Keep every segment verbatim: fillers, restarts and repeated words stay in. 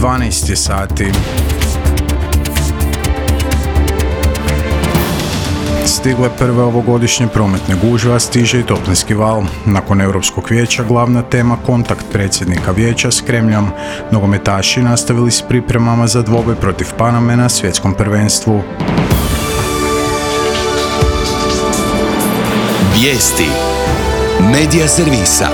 dvanaest je sati. Stigle prve ovogodišnje prometne gužve, a stiže i toplinski val. Nakon Europskog vijeća glavna tema kontakt predsjednika vijeća s Kremljom. Nogometaši nastavili s pripremama za dvoboj protiv Paname na svjetskom prvenstvu. Vijesti Medija servisa.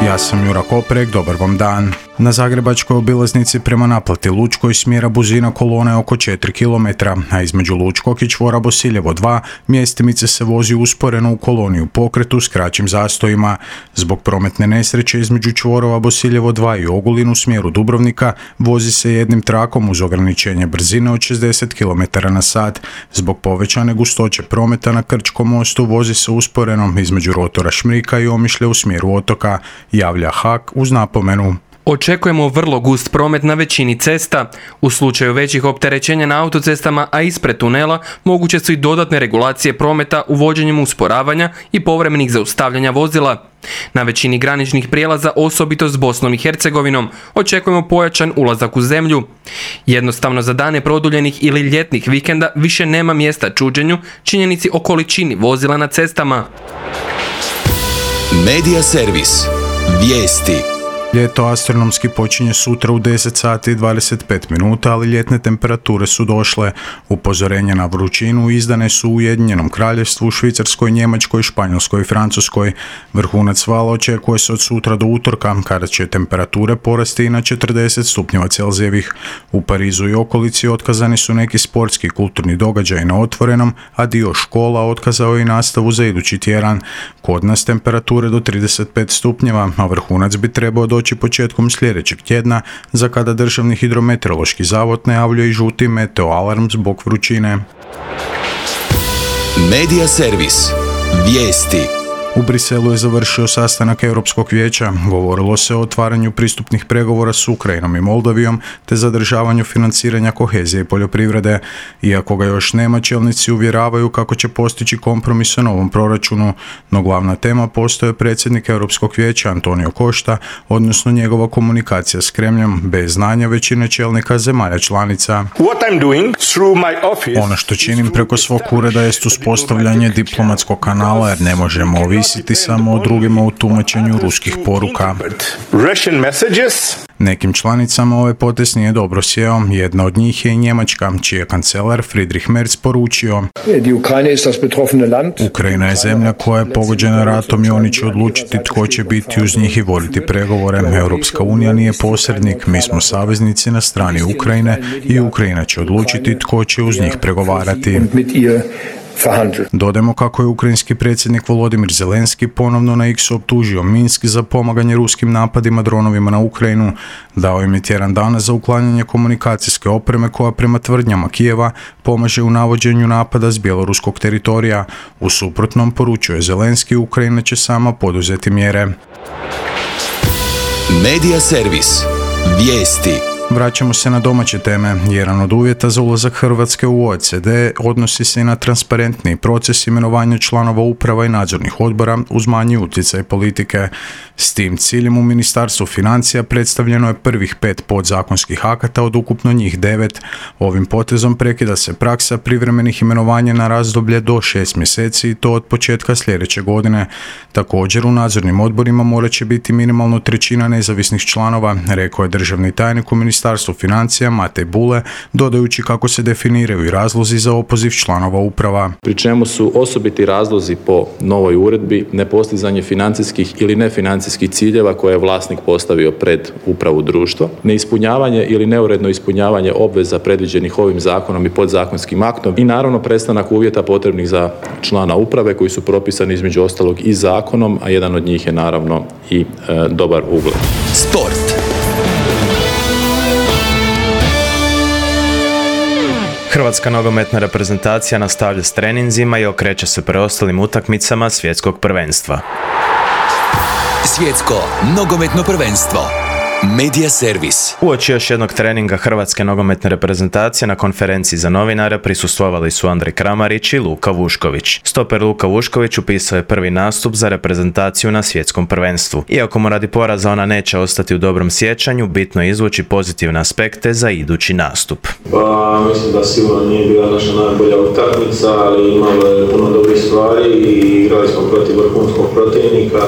Ja sam Jura Koprek, dobar vam dan. Na zagrebačkoj obilaznici prema naplati Lučkoj smjera Buzina kolona je oko četiri kilometra, a između Lučkog i čvora Bosiljevo dva mjestimice se vozi usporeno u koloni u pokretu s kraćim zastojima. Zbog prometne nesreće između čvorova Bosiljevo dva i Ogulin u smjeru Dubrovnika vozi se jednim trakom uz ograničenje brzine od šezdeset kilometara na sat. Zbog povećane gustoće prometa na Krčkom mostu vozi se usporeno između rotora Šmrika i Omišlja u smjeru otoka, javlja H A K uz napomenu. Očekujemo vrlo gust promet na većini cesta. U slučaju većih opterećenja na autocestama, a ispred tunela, moguće su i dodatne regulacije prometa uvođenjem usporavanja i povremenih zaustavljanja vozila. Na većini graničnih prijelaza, osobito s Bosnom i Hercegovinom, očekujemo pojačan ulazak u zemlju. Jednostavno za dane produljenih ili ljetnih vikenda više nema mjesta čuđenju, činjenici o količini vozila na cestama. Medija servis. Vijesti. Ljeto astronomski počinje sutra u deset sati i dvadeset pet minuta, ali ljetne temperature su došle. Upozorenja na vrućinu izdane su u Ujedinjenom Kraljevstvu, Švicarskoj, Njemačkoj, Španjolskoj i Francuskoj. Vrhunac vala očekuje se od sutra do utorka, kada će temperature porasti i na četrdeset stupnjeva Celzijevih. U Parizu i okolici otkazani su neki sportski i kulturni događaji na otvorenom, a dio škola otkazao je i nastavu za idući tjedan. Kod nas temperature do trideset pet stupnjeva, a vrhunac bi trebao doći početkom sljedećeg tjedna, za kada Državni hidrometeorološki zavod najavljuje i žuti meteo alarm zbog vrućine. Medija servis. Vijesti. U Briselu je završio sastanak Europskog vijeća. Govorilo se o otvaranju pristupnih pregovora s Ukrajinom i Moldavijom te zadržavanju financiranja kohezije i poljoprivrede. Iako ga još nema, čelnici uvjeravaju kako će postići kompromis o novom proračunu, no glavna tema postaje predsjednik Europskog vijeća Antonio Costa, odnosno njegova komunikacija s Kremljom, bez znanja većine čelnika zemalja članica. Ono što činim preko svog ureda jest uspostavljanje diplomatskog kanala, jer ne možemo ovisiti samo o drugima u tumačenju ruskih poruka. Nekim članicama ovaj potez nije dobro sjeo. Jedna od njih je i Njemačka, čiji je kancelar Friedrich Merz poručio: Ukrajina je zemlja koja je pogođena ratom i oni će odlučiti tko će biti uz njih i voditi pregovore. Europska unija nije posrednik, mi smo saveznici na strani Ukrajine i Ukrajina će odlučiti tko će uz njih pregovarati. Dodajmo kako je ukrajinski predsjednik Volodimir Zelenski ponovno na X optužio Minsk za pomaganje ruskim napadima dronovima na Ukrajinu. Dao im je tjedan dana za uklanjanje komunikacijske opreme koja prema tvrdnjama Kijeva pomaže u navođenju napada s bjeloruskog teritorija. U suprotnom, poručuje Zelenski, Ukrajina će sama poduzeti mjere. Medija servis. Vijesti. Vraćamo se na domaće teme. Jedan od uvjeta za ulazak Hrvatske u O E C D odnosi se i na transparentni proces imenovanja članova uprava i nadzornih odbora uz manji utjecaj politike. S tim ciljem u Ministarstvu financija predstavljeno je prvih pet podzakonskih akata od ukupno njih devet. Ovim potezom prekida se praksa privremenih imenovanja na razdoblje do šest mjeseci i to od početka sljedeće godine. Također u nadzornim odborima morat će biti minimalno trećina nezavisnih članova, rekao je državni tajnik u Ministarstvu financija Matej Bule, dodajući kako se definiraju i razlozi za opoziv članova uprava. Pri čemu su osobiti razlozi po novoj uredbi nepostizanje financijskih ili nefinancijskih ciljeva koje je vlasnik postavio pred upravu društva, neispunjavanje ili neuredno ispunjavanje obveza predviđenih ovim zakonom i podzakonskim aktom i naravno prestanak uvjeta potrebnih za člana uprave koji su propisani između ostalog i zakonom, a jedan od njih je naravno i e, dobar ugled. Sport. Hrvatska nogometna reprezentacija nastavlja s treninzima i okreće se preostalim utakmicama svjetskog prvenstva. Svjetsko nogometno prvenstvo. Medija servis. Uoči još jednog treninga hrvatske nogometne reprezentacije na konferenciji za novinare prisustvovali su Andrej Kramarić i Luka Vušković. Stoper Luka Vušković upisao je prvi nastup za reprezentaciju na svjetskom prvenstvu. Iako mu radi poraza ona neće ostati u dobrom sjećanju, bitno je izvući pozitivne aspekte za idući nastup. Pa mislim da sigurno nije bila naša najbolja utakmica, ali imalo je puno dobrih stvari i igrali smo protiv vrhunskog protivnika.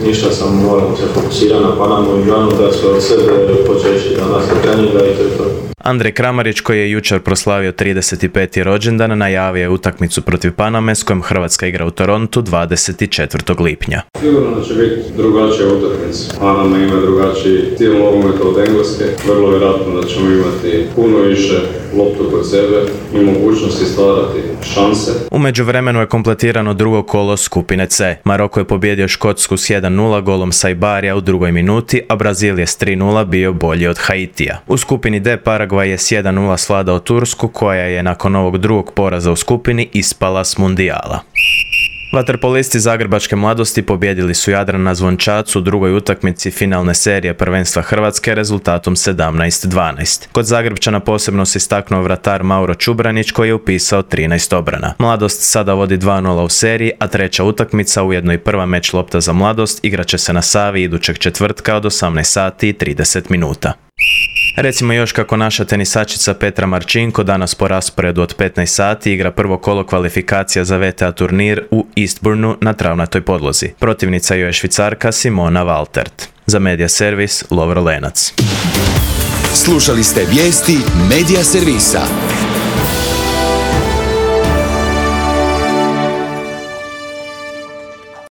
Ništa sam morao se fokusirati na Panamu i Ganu, da se od sebe počeći danas od treninga i to je to. Andrej Kramarić, koji je jučer proslavio trideset peti rođendan, najavio je utakmicu protiv Paname s kojom Hrvatska igra u Torontu dvadeset četvrtog lipnja. Sigurno da će biti drugačija utakmica. Panama ima drugačiji stil nogometa od Engleske. Vrlo vjerojatno da ćemo imati puno više loptu kod sebe i mogućnosti stvarati šanse. U međuvremenu je kompletirano drugo kolo skupine C. Maroko je pobjedio Škotsku s jedan nula golom Sajbarija u drugoj minuti, a Brazil je s tri nula bio bolji od Haitija. U skupini D Paragvaj je s jedan nula svladao Tursku, koja je nakon ovog drugog poraza u skupini ispala s mundijala. Vaterpolisti zagrebačke mladosti pobijedili su Jadran na Zvončacu u drugoj utakmici finalne serije prvenstva Hrvatske rezultatom sedamnaest dvanaest. Kod Zagrebčana posebno se istaknuo vratar Mauro Čubranić, koji je upisao trinaest obrana. Mladost sada vodi dva nula u seriji, a treća utakmica, ujedno i prva meč lopta za Mladost, igraće se na Savi idućeg četvrtka od osamnaest sati i trideset minuta. Recimo još kako naša tenisačica Petra Marčinko danas po rasporedu od petnaest sati igra prvo kolo kvalifikacija za V T A turnir u Eastbournu na travnatoj podlozi. Protivnica joj je Švicarka Simona Valtert. Za Medija servis Lovro Lenac. Slušali ste vijesti Medija servisa.